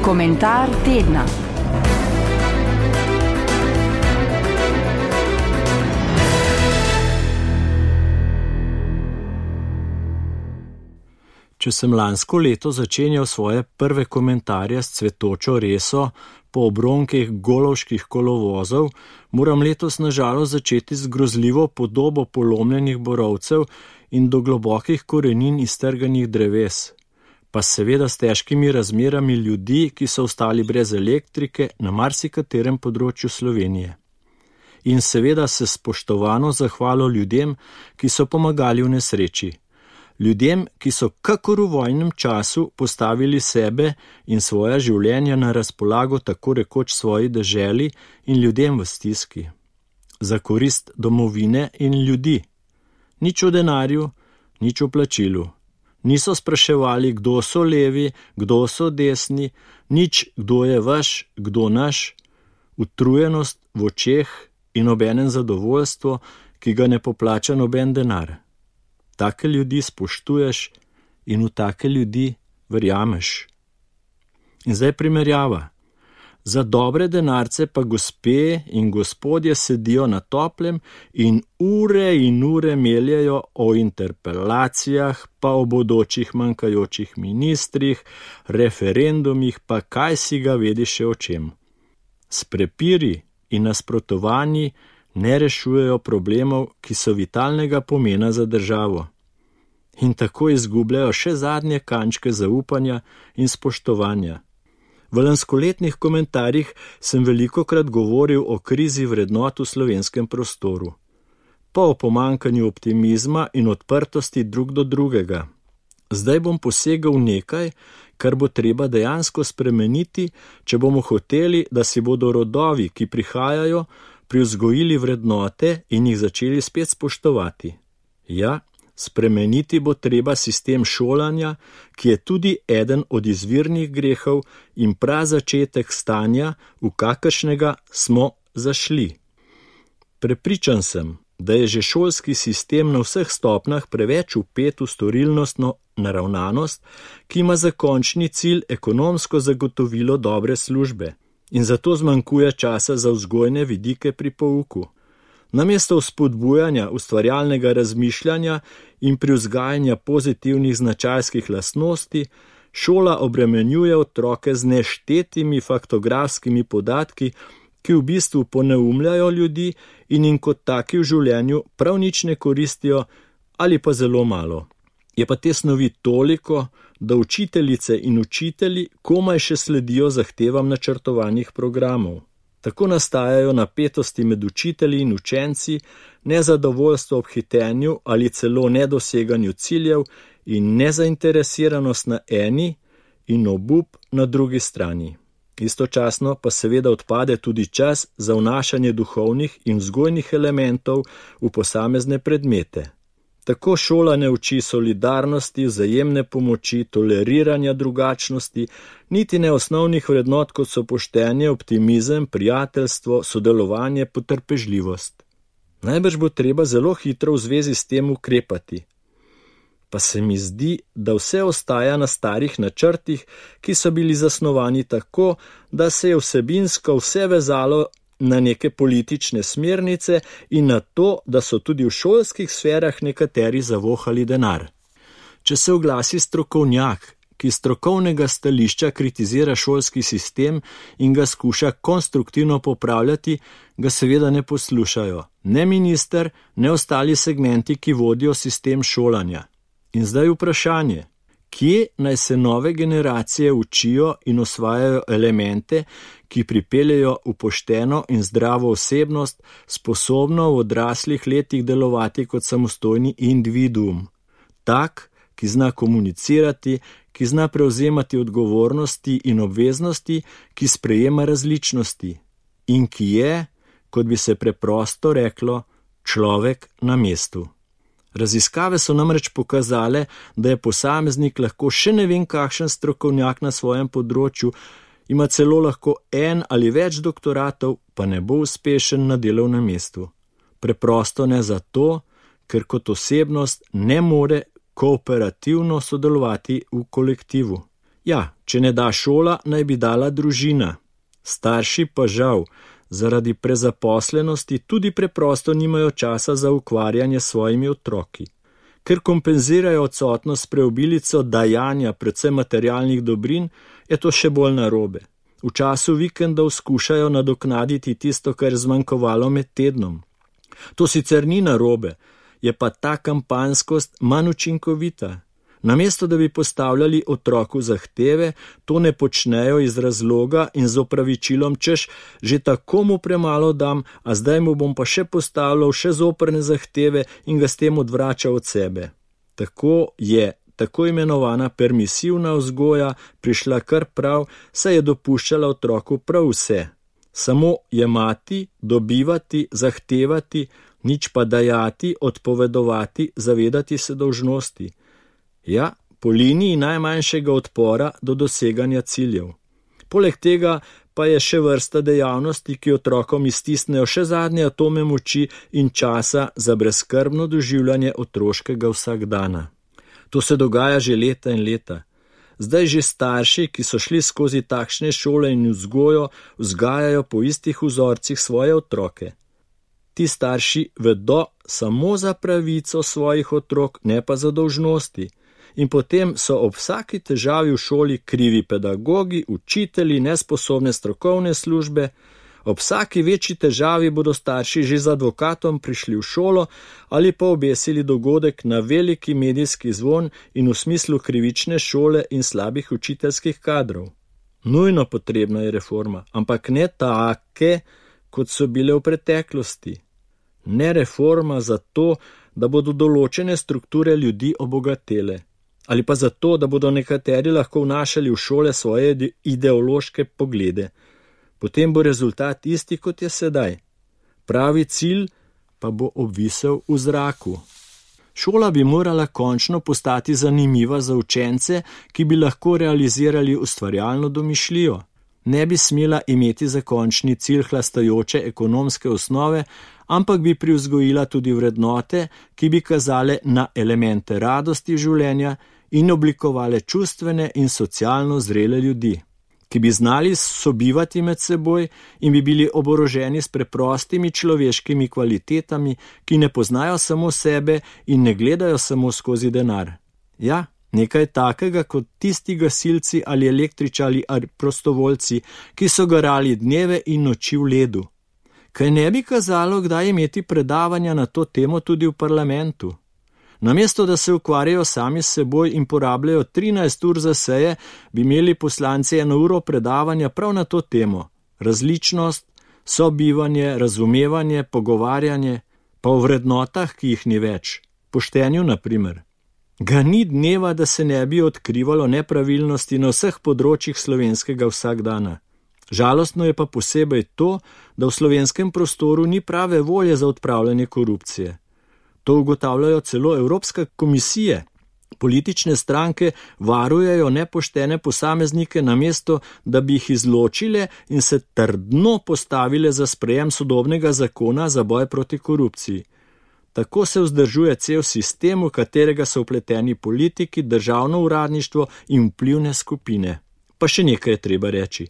Komentar tedna. Če sem lansko leto začenjal svoje prve komentarje s cvetočo reso po obronkih golovških kolovozov, moram letos nažalost začeti z grozljivo podobo polomljenih borovcev in do globokih korenin iztrganih dreves, pa seveda s težkimi razmerami ljudi, ki so ostali brez elektrike na marsikaterem področju Slovenije. In seveda se spoštovano zahvalo ljudem, ki so pomagali v nesreči. Ljudem, ki so kakor v vojnem času postavili sebe in svoja življenja na razpolago tako rekoč svoji deželi in ljudem v stiski. Za korist domovine in ljudi. Nič o denarju, nič o plačilu. Niso spraševali, kdo so levi, kdo so desni, nič, kdo je vaš, kdo naš. Utrujenost v očeh in obenem zadovoljstvo, ki ga ne poplača noben denar. Take ljudi spoštuješ in v take ljudi verjameš. In zdaj primerjava. Za dobre denarce pa gospe in gospodje sedijo na toplem in ure meljejo o interpelacijah, pa o bodočih manjkajočih ministrih, referendumih, pa kaj si ga vedi še o čem. S prepiri in nasprotovanji ne rešujejo problemov, ki so vitalnega pomena za državo. In tako izgubljajo še zadnje kančke zaupanja in spoštovanja. V lanskoletnih komentarjih sem velikokrat govoril o krizi vrednot v slovenskem prostoru, pa o pomanjkanju optimizma in odprtosti drug do drugega. Zdaj bom posegal nekaj, kar bo treba dejansko spremeniti, če bomo hoteli, da si bodo rodovi, ki prihajajo, privzgojili vrednote in jih začeli spet spoštovati. Ja, spremeniti bo treba sistem šolanja, ki je tudi eden od izvirnih grehov in prazačetek stanja, v kakršnega smo zašli. Prepričan sem, da je že šolski sistem na vseh stopnjah preveč vpet v storilnostno naravnanost, ki ima za končni cilj ekonomsko zagotovilo dobre službe. In zato zmanjkuje časa za vzgojne vidike pri pouku. Namesto vzpodbujanja ustvarjalnega razmišljanja in privzgajanja pozitivnih značajskih lastnosti, šola obremenjuje otroke z neštetimi faktografskimi podatki, ki v bistvu poneumljajo ljudi in jim kot taki v življenju prav nič ne koristijo ali pa zelo malo. Je pa te snovi toliko, da učiteljice in učitelji komaj še sledijo zahtevam načrtovanih programov. Tako nastajajo napetosti med učitelji in učenci, nezadovoljstvo ob hitenju ali celo nedoseganju ciljev in nezainteresiranost na eni in obup na drugi strani. Istočasno pa seveda odpade tudi čas za vnašanje duhovnih in vzgojnih elementov v posamezne predmete. Tako šola ne uči solidarnosti, vzajemne pomoči, toleriranja drugačnosti, niti ne osnovnih vrednot, kot so poštenje, optimizem, prijateljstvo, sodelovanje, potrpežljivost. Najbrž bo treba zelo hitro v zvezi s tem ukrepati. Pa se mi zdi, da vse ostaja na starih načrtih, ki so bili zasnovani tako, da se je vsebinsko vse vezalo na neke politične smernice in na to, da so tudi v šolskih sferah nekateri zavohali denar. Če se oglasi strokovnjak, ki strokovnega stališča kritizira šolski sistem in ga skuša konstruktivno popravljati, ga seveda ne poslušajo. Ne minister, ne ostali segmenti, ki vodijo sistem šolanja. In zdaj vprašanje. Kje naj se nove generacije učijo in osvajajo elemente, ki pripeljejo v pošteno in zdravo osebnost, sposobno v odraslih letih delovati kot samostojni individuum? Tak, ki zna komunicirati, ki zna prevzemati odgovornosti in obveznosti, ki sprejema različnosti in ki je, kot bi se preprosto reklo, človek na mestu. Raziskave so namreč pokazale, da je posameznik lahko še ne vem kakšen strokovnjak na svojem področju, ima celo lahko en ali več doktoratov, pa ne bo uspešen na delovnem mestu. Preprosto ne zato, ker kot osebnost ne more kooperativno sodelovati v kolektivu. Ja, če ne da šola, naj bi dala družina. Starši pa žal, zaradi prezaposlenosti tudi preprosto nimajo časa za ukvarjanje s svojimi otroki. Ker kompenzirajo odsotnost s preobilico dajanja predvsem materialnih dobrin, je to še bolj narobe. V času vikendov skušajo nadoknaditi tisto, kar je zmanjkovalo med tednom. To sicer ni narobe, je pa ta kampanskost manj učinkovita. Namesto da bi postavljali otroku zahteve, to ne počnejo iz razloga in z opravičilom, češ, že tako mu premalo dam, a zdaj mu bom pa še postavljal še zoprne zahteve in ga s tem odvračal od sebe. Tako je tako imenovana permisivna vzgoja prišla kar prav, saj je dopuščala otroku prav vse. Samo jemati, dobivati, zahtevati, nič pa dajati, odpovedovati, zavedati se dolžnosti. Ja, po liniji najmanjšega odpora do doseganja ciljev. Poleg tega pa je še vrsta dejavnosti, ki otrokom iztisnejo še zadnje atome moči in časa za brezskrbno doživljanje otroškega vsakdana. To se dogaja že leta in leta. Zdaj že starši, ki so šli skozi takšne šole in vzgojo, vzgajajo po istih vzorcih svoje otroke. Ti starši vedo samo za pravico svojih otrok, ne pa za dolžnosti. In potem so ob vsaki težavi v šoli krivi pedagogi, učitelji, nesposobne strokovne službe. Ob vsaki večji težavi bodo starši že z advokatom prišli v šolo ali pa obesili dogodek na veliki medijski zvon in v smislu krivične šole in slabih učiteljskih kadrov. Nujno potrebna je reforma, ampak ne take, kot so bile v preteklosti. Ne reforma zato, da bodo določene strukture ljudi obogatele. Ali pa zato, da bodo nekateri lahko vnašali v šole svoje ideološke poglede. Potem bo rezultat isti, kot je sedaj. Pravi cilj pa bo obvisel v zraku. Šola bi morala končno postati zanimiva za učence, ki bi lahko realizirali ustvarjalno domišljijo. Ne bi smela imeti za končni cilj hlastajoče ekonomske osnove, ampak bi privzgojila tudi vrednote, ki bi kazale na elemente radosti življenja in oblikovale čustvene in socialno zrele ljudi, ki bi znali sobivati med seboj in bi bili oboroženi s preprostimi človeškimi kvalitetami, ki ne poznajo samo sebe in ne gledajo samo skozi denar. Ja, nekaj takega kot tisti gasilci ali električari ali prostovoljci, ki so garali dneve in noči v ledu. Kaj ne bi kazalo, kdaj imeti predavanja na to temo tudi v parlamentu? Namesto, da se ukvarjajo sami s seboj in porabljajo 13 ur za seje, bi imeli poslanci 1 uro predavanja prav na to temo. Različnost, sobivanje, razumevanje, pogovarjanje, pa o vrednotah, ki jih ni več. Poštenju, na primer. Ga ni dneva, da se ne bi odkrivalo nepravilnosti na vseh področjih slovenskega vsakdana. Žalostno je pa posebej to, da v slovenskem prostoru ni prave volje za odpravljanje korupcije. To ugotavljajo celo Evropska komisija. Politične stranke varujejo nepoštene posameznike namesto, da bi jih izločile in se trdno postavile za sprejem sodobnega zakona za boj proti korupciji. Tako se vzdržuje cel sistem, v katerega so vpleteni politiki, državno uradništvo in vplivne skupine. Pa še nekaj je treba reči.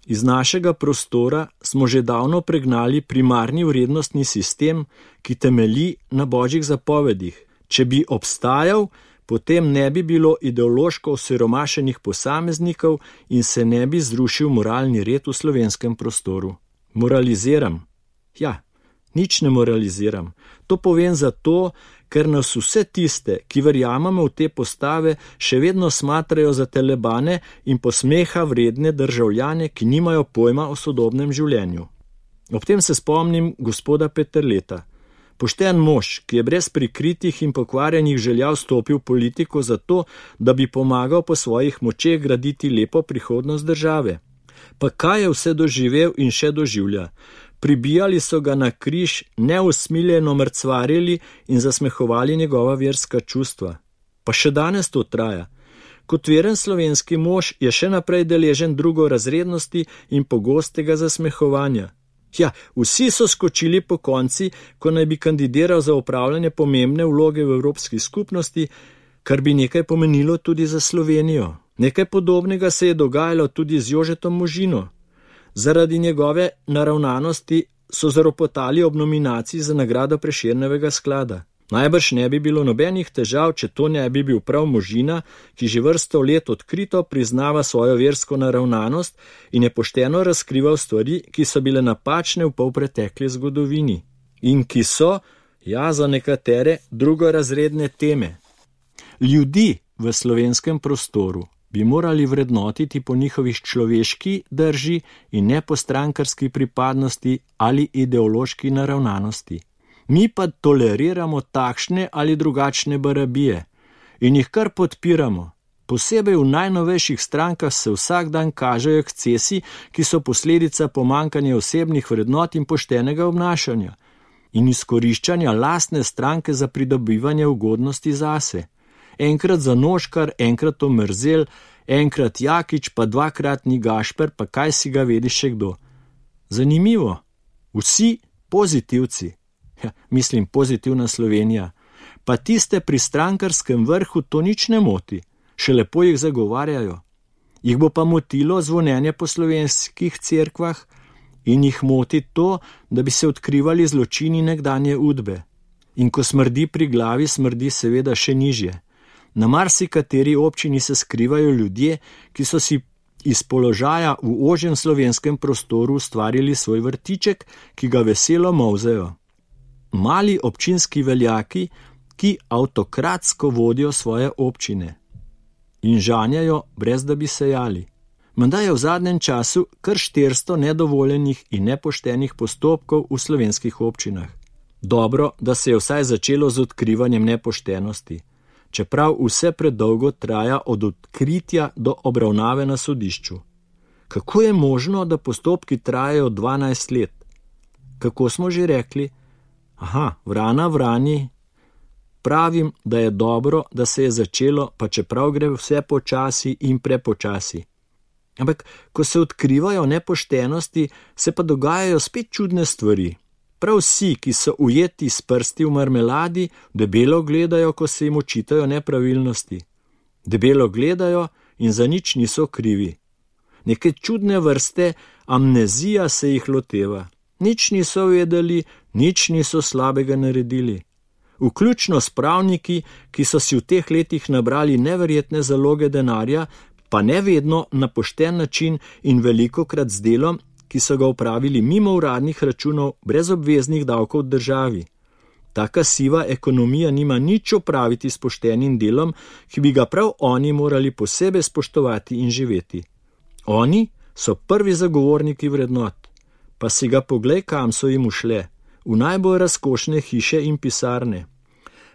Iz našega prostora smo že davno pregnali primarni vrednostni sistem, ki temelji na božjih zapovedih. Če bi obstajal, potem ne bi bilo ideološko osiromašenih posameznikov in se ne bi zrušil moralni red v slovenskem prostoru. Moraliziram? Ja, nič ne moraliziram. To povem zato, ker nas vse tiste, ki verjamemo v te postave, še vedno smatrajo za telebane in posmeha vredne državljane, ki nimajo pojma o sodobnem življenju. Ob tem se spomnim gospoda Peterleta. Pošten mož, ki je brez prikritih in pokvarjenih želja vstopil v politiko zato, da bi pomagal po svojih močeh graditi lepo prihodnost države. Pa kaj je vse doživel in še doživlja? Pribijali so ga na križ, neusmiljeno mrcvarili in zasmehovali njegova verska čustva. Pa še danes to traja. Kot veren slovenski mož je še naprej deležen drugorazrednosti in pogostega zasmehovanja. Ja, vsi so skočili po konci, ko naj bi kandidiral za opravljanje pomembne vloge v Evropski skupnosti, kar bi nekaj pomenilo tudi za Slovenijo. Nekaj podobnega se je dogajalo tudi z Jožetom Možino. Zaradi njegove naravnanosti so zaropotali ob nominaciji za nagrado Prešernovega sklada. Najbrž ne bi bilo nobenih težav, če to ne bi bil prav Možina, ki že vrsto let odkrito priznava svojo versko naravnanost in je pošteno razkrival stvari, ki so bile napačne v polpretekli zgodovini in ki so, ja, za nekatere drugorazredne teme. Ljudi v slovenskem prostoru bi morali vrednotiti po njihovih človeški drži in ne po strankarski pripadnosti ali ideološki naravnanosti. Mi pa toleriramo takšne ali drugačne barabije in jih kar podpiramo. Posebej v najnovejših strankah se vsak dan kažejo ekscesi, ki so posledica pomanjkanja osebnih vrednot in poštenega obnašanja in izkoriščanja lastne stranke za pridobivanje ugodnosti zase. Enkrat Zanoškar, enkrat Omerzel, enkrat Jakič, pa dvakratni Gašper, pa kaj si ga vedi še kdo. Zanimivo, vsi pozitivci, mislim pozitivna Slovenija, pa tiste pri strankarskem vrhu to nič ne moti, še lepo jih zagovarjajo. Jih bo pa motilo zvonjenje po slovenskih cerkvah in jih moti to, da bi se odkrivali zločini nekdanje Udbe. In ko smrdi pri glavi, smrdi seveda še nižje. Na marsikateri občini se skrivajo ljudje, ki so si iz položaja v ožjem slovenskem prostoru ustvarili svoj vrtiček, ki ga veselo molzejo. Mali občinski veljaki, ki avtokratsko vodijo svoje občine in žanjajo, brez da bi sejali. Menda je v zadnjem času kar 400 nedovoljenih in nepoštenih postopkov v slovenskih občinah. Dobro, da se je vsaj začelo z odkrivanjem nepoštenosti, čeprav vse predolgo traja od odkritja do obravnave na sodišču. Kako je možno, da postopki trajajo 12 let? Kako smo že rekli? Vrana vrani. Pravim, da je dobro, da se je začelo, pa čeprav gre vse počasi in prepočasi. Ampak, ko se odkrivajo nepoštenosti, se pa dogajajo spet čudne stvari. Prav vsi, ki so ujeti s prsti v marmeladi, debelo gledajo, ko se jim očitajo nepravilnosti. Debelo gledajo in za nič niso krivi. Neke čudne vrste amnezija se jih loteva. Nič niso vedeli, nič niso slabega naredili. Vključno s pravniki, ki so si v teh letih nabrali neverjetne zaloge denarja, pa ne vedno na pošten način in velikokrat z delom, ki so ga upravili mimo uradnih računov, brez obveznih davkov v državi. Taka siva ekonomija nima nič opraviti s poštenim delom, ki bi ga prav oni morali posebej spoštovati in živeti. Oni so prvi zagovorniki vrednot, pa si ga poglej, kam so jim ušle, v najbolj razkošne hiše in pisarne.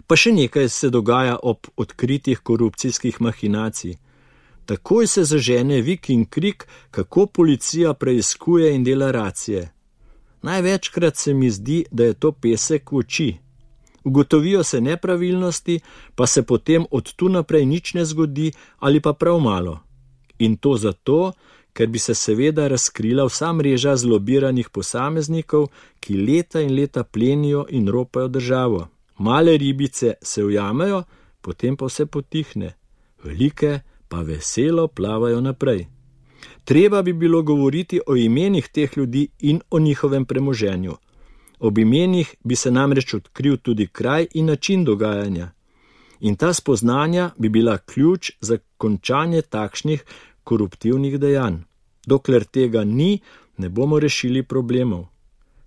Pa še nekaj se dogaja ob odkritih korupcijskih mahinacij. Takoj se zažene vik in krik, kako policija preiskuje in dela racije. Največkrat se mi zdi, da je to pesek v oči. Ugotovijo se nepravilnosti, pa se potem od tu naprej nič ne zgodi ali pa prav malo. In to zato, ker bi se seveda razkrila vsa mreža zlobiranih posameznikov, ki leta in leta plenijo in ropajo državo. Male ribice se ujamejo, potem pa vse potihne. Velike pa veselo plavajo naprej. Treba bi bilo govoriti o imenih teh ljudi in o njihovem premoženju. Ob imenih bi se namreč odkril tudi kraj in način dogajanja. In ta spoznanja bi bila ključ za končanje takšnih koruptivnih dejanj. Dokler tega ni, ne bomo rešili problemov.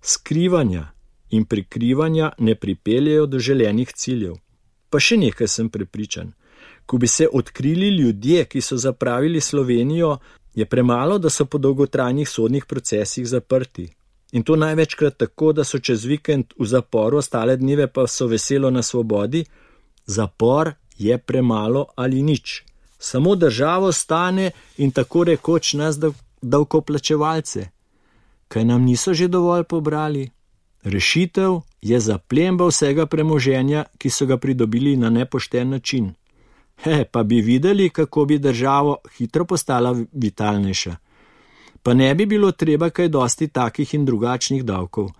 Skrivanja in prikrivanja ne pripeljejo do želenih ciljev. Pa še nekaj sem prepričan. Ko bi se odkrili ljudje, ki so zapravili Slovenijo, je premalo, da so po dolgotrajnih sodnih procesih zaprti. In to največkrat tako, da so čez vikend v zaporu, ostale dneve pa so veselo na svobodi. Zapor je premalo ali nič. Samo državo stane in tako rekoč nas davkoplačevalce. Kaj nam niso že dovolj pobrali? Rešitev je zaplemba vsega premoženja, ki so ga pridobili na nepošten način. Pa bi videli, kako bi državo hitro postala vitalnejša. Pa ne bi bilo treba kaj dosti takih in drugačnih davkov,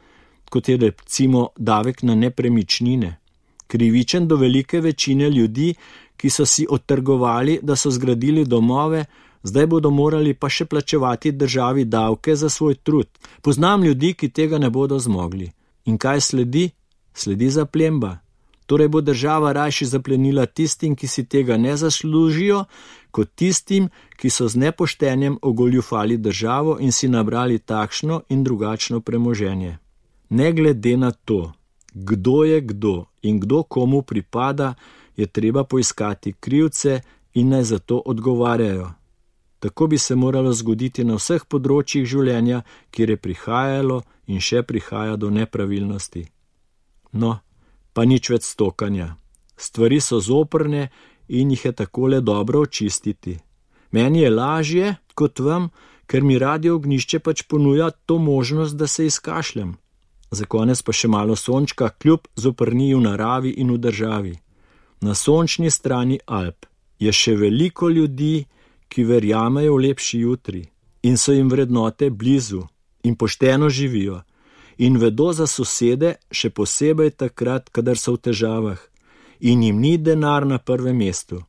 kot je recimo davek na nepremičnine. Krivičen do velike večine ljudi, ki so si odtrgovali, da so zgradili domove, zdaj bodo morali pa še plačevati državi davke za svoj trud. Poznam ljudi, ki tega ne bodo zmogli. In kaj sledi? Sledi zaplemba. Torej bo država rajši zaplenila tistim, ki si tega ne zaslužijo, kot tistim, ki so z nepoštenjem ogoljufali državo in si nabrali takšno in drugačno premoženje. Ne glede na to, kdo je kdo in kdo komu pripada, je treba poiskati krivce in naj za to odgovarjajo. Tako bi se moralo zgoditi na vseh področjih življenja, kjer je prihajalo in še prihaja do nepravilnosti. No, pa nič več stokanja. Stvari so zoprne in jih je takole dobro očistiti. Meni je lažje kot vam, ker mi Radio Ognjišče pač ponuja to možnost, da se izkašljam. Za konec pa še malo sončka, kljub zoprniji v naravi in v državi. Na sončni strani Alp je še veliko ljudi, ki verjamejo v lepši jutri in so jim vrednote blizu in pošteno živijo in vedo za sosede, še posebej takrat, kadar so v težavah in jim ni denar na prvem mestu.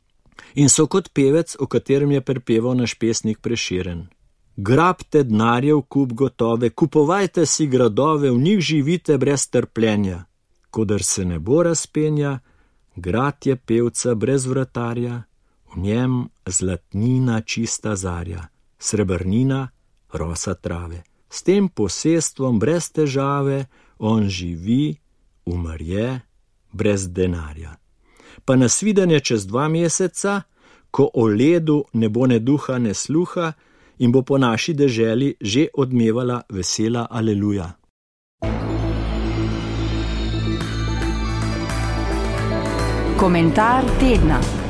In so kot pevec, o katerem je prepeval naš pesnik Prešeren. Grabte denarjev kup gotove, kupovajte si gradove, v njih živite brez trpljenja. Kodar se nebo razpenja, grad je pevca brez vratarja, v njem zlatnina čista zarja, srebrnina rosa trave. S tem posestvom brez težave on živi, umr je brez denarja. Pa nasvidenje čez 2 meseca, ko o ledu ne bo ne duha ne sluha in bo po naši deželi že odmevala vesela aleluja. Komentar tedna.